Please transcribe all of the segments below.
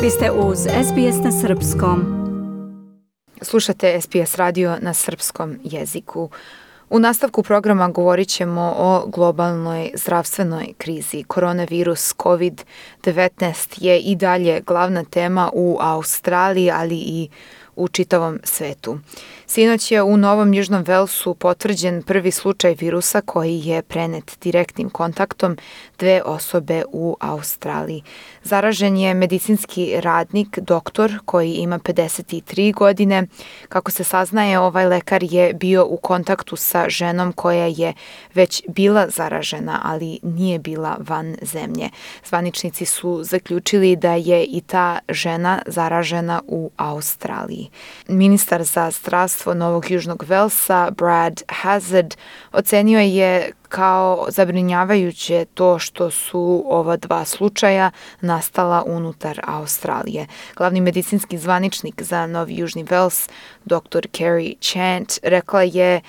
Vi ste uz SBS na Srpskom. Slušate SBS radio na srpskom jeziku. U nastavku programa govorit ćemo o globalnoj zdravstvenoj krizi. Koronavirus COVID-19 je i dalje glavna tema u Australiji, ali i u čitavom svetu. Sinoć je u Novom Južnom Velsu potvrđen prvi slučaj virusa koji je prenet direktnim kontaktom dve osobe u Australiji. Zaražen je medicinski radnik, doktor koji ima 53 godine. Kako se saznaje, ovaj lekar je bio u kontaktu sa ženom koja je već bila zaražena, ali nije bila van zemlje. Zvaničnici su zaključili da je i ta žena zaražena u Australiji. Ministar za zdravstvo Novog Južnog Velsa, Brad Hazzard, ocenio je kao zabrinjavajuće to što su ova dva slučaja nastala unutar Australije. Glavni medicinski zvaničnik za Novi Južni Vels, dr. Kerry Chant, rekla je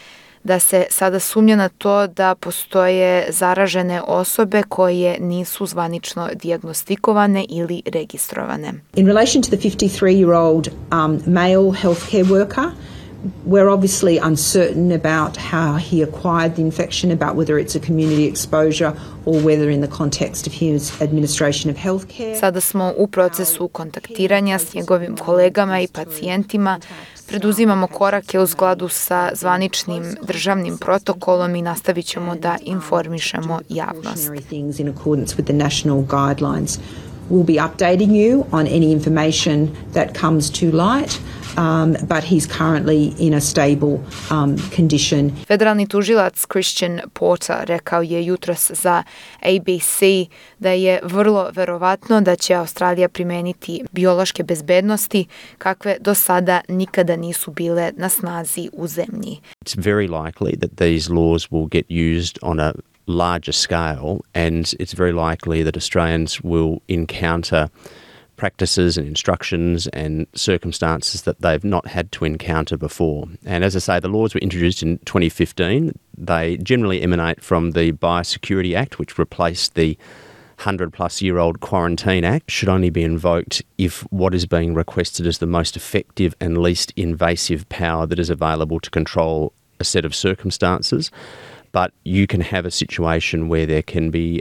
da se sada sumnja na to da postoje zaražene osobe koje nisu zvanično dijagnostikovane ili registrovane. In relation to the 53-year-old male healthcare worker, we're obviously uncertain about how he acquired the infection, about whether it's a community exposure or whether in the context of his administration of healthcare. Sada smo u procesu kontaktiranja s njegovim kolegama i pacijentima. Preduzimamo korake u skladu sa zvaničnim državnim protokolom i nastavit ćemo da informišemo javnost. We'll be updating you on any information that comes to light, but he's currently in a stable condition. Federalni tužilac Christian Porter rekao je jutros za ABC da je vrlo verovatno da će Australija primeniti biološke bezbednosti kakve do sada nikada nisu bile na snazi u zemlji. It's very likely that these laws will get used on a larger scale, and it's very likely that Australians will encounter practices and instructions and circumstances that they've not had to encounter before. And as I say, the laws were introduced in 2015. They generally emanate from the Biosecurity Act, which replaced the 100-plus-year-old Quarantine Act. Should only be invoked if what is being requested is the most effective and least invasive power that is available to control a set of circumstances. But you can have a situation where there can be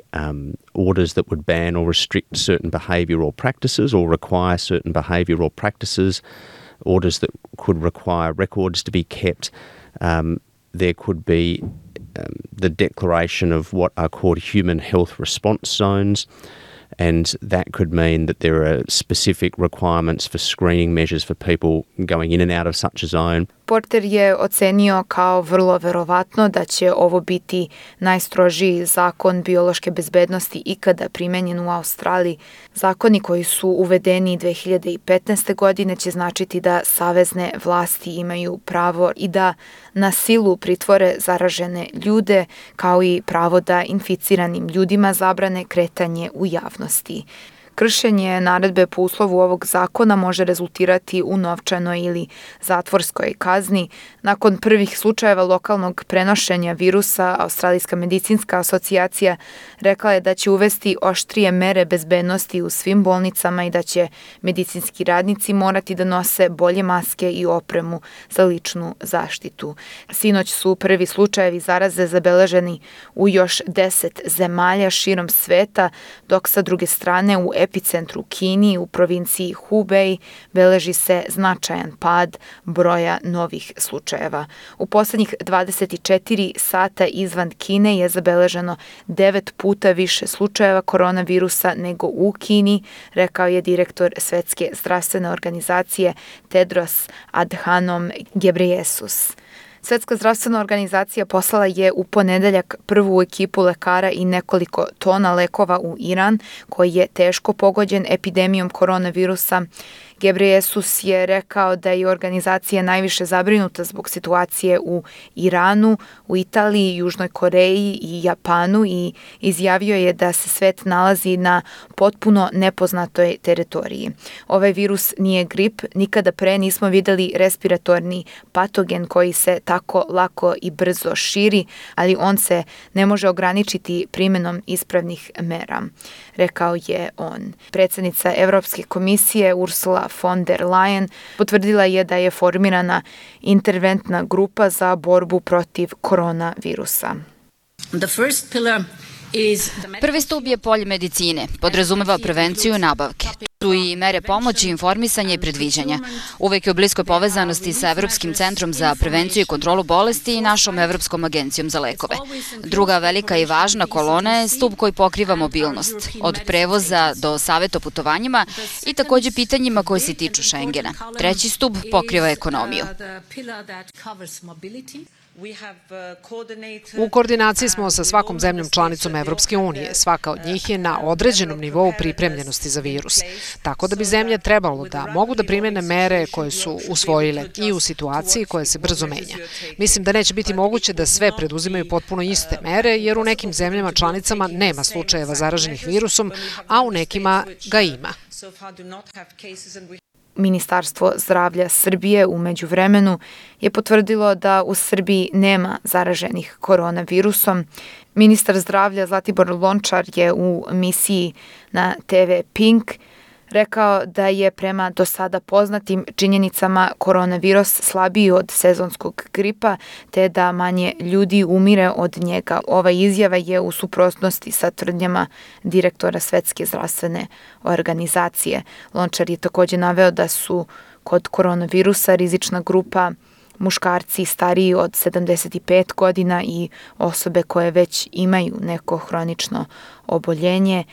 orders that would ban or restrict certain behavioural practices or require certain behavioural practices, orders that could require records to be kept. There could be the declaration of what are called human health response zones, and that could mean that there are specific requirements for screening measures for people going in and out of such a zone. Porter je ocenio kao vrlo verovatno da će ovo biti najstrožiji zakon biološke bezbednosti ikada primenjen u Australiji. Zakoni koji su uvedeni 2015. godine će značiti da savezne vlasti imaju pravo i da na silu pritvore zaražene ljude, kao i pravo da inficiranim ljudima zabrane kretanje u javnosti. Kršenje naredbe po uslovu ovog zakona može rezultirati u novčanoj ili zatvorskoj kazni. Nakon prvih slučajeva lokalnog prenošenja virusa, Australijska medicinska asocijacija rekla je da će uvesti oštrije mere bezbednosti u svim bolnicama i da će medicinski radnici morati da nose bolje maske i opremu za ličnu zaštitu. Sinoć su prvi slučajevi zaraze zabeleženi u još 10 zemalja širom sveta, dok sa druge strane u epicentru Kini u provinciji Hubei beleži se značajan pad broja novih slučajeva. U poslednjih 24 sata izvan Kine je zabeleženo 9 puta više slučajeva koronavirusa nego u Kini, rekao je direktor Svetske zdravstvene organizacije Tedros Adhanom Ghebreyesus. Svetska zdravstvena organizacija poslala je u ponedeljak prvu ekipu lekara i nekoliko tona lekova u Iran, koji je teško pogođen epidemijom koronavirusa. Gebreyesus je rekao da je organizacija najviše zabrinuta zbog situacije u Iranu, u Italiji, Južnoj Koreji i Japanu i izjavio je da se svet nalazi na potpuno nepoznatoj teritoriji. Ovaj virus nije grip, nikada pre nismo videli respiratorni patogen koji se tako lako i brzo širi, ali on se ne može ograničiti primjenom ispravnih mera, rekao je on. Predsjednica Evropske komisije Ursula von der Leyen potvrdila je da je formirana interventna grupa za borbu protiv koronavirusa. Prvi stup je polje medicine, podrazumeva prevenciju nabavke. Tu i mere pomoći, informisanja i predviđanja. Uvek je u bliskoj povezanosti sa Evropskim centrom za prevenciju i kontrolu bolesti i našom Evropskom agencijom za lekove. Druga velika i važna kolona je stup koji pokriva mobilnost, od prevoza do saveta o putovanjima i takođe pitanjima koji se tiču Schengena. Treći stup pokriva ekonomiju. U koordinaciji smo sa svakom zemljom članicom Evropske unije. Svaka od njih je na određenom nivou pripremljenosti za virus. Tako da bi zemlje trebalo da mogu da primene mere koje su usvojile i u situaciji koja se brzo menja. Mislim da neće biti moguće da sve preduzimaju potpuno iste mere, jer u nekim zemljama članicama nema slučajeva zaraženih virusom, a u nekima ga ima. Ministarstvo zdravlja Srbije u međuvremenu je potvrdilo da u Srbiji nema zaraženih koronavirusom. Ministar zdravlja Zlatibor Lončar je u emisiji na TV Pink rekao da je prema do sada poznatim činjenicama koronavirus slabiji od sezonskog gripa, te da manje ljudi umire od njega. Ova izjava je u suprotnosti sa tvrdnjama direktora Svetske zdravstvene organizacije. Lončar je takođe naveo da su kod koronavirusa rizična grupa muškarci stariji od 75 godina i osobe koje već imaju neko hronično oboljenje,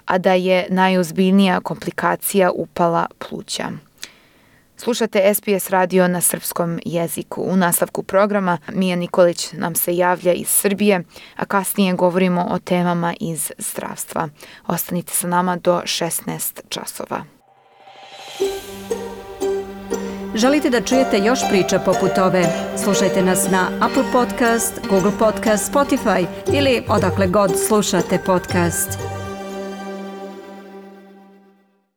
a da je najozbiljnija komplikacija upala pluća. Slušate SBS radio na srpskom jeziku. U nastavku programa Mija Nikolić nam se javlja iz Srbije, a kasnije govorimo o temama iz zdravstva. Ostanite sa nama do 16 časova. Želite da čujete još priča poput ove? Slušajte nas na Apple Podcast, Google Podcast, Spotify ili odakle god slušate podcast.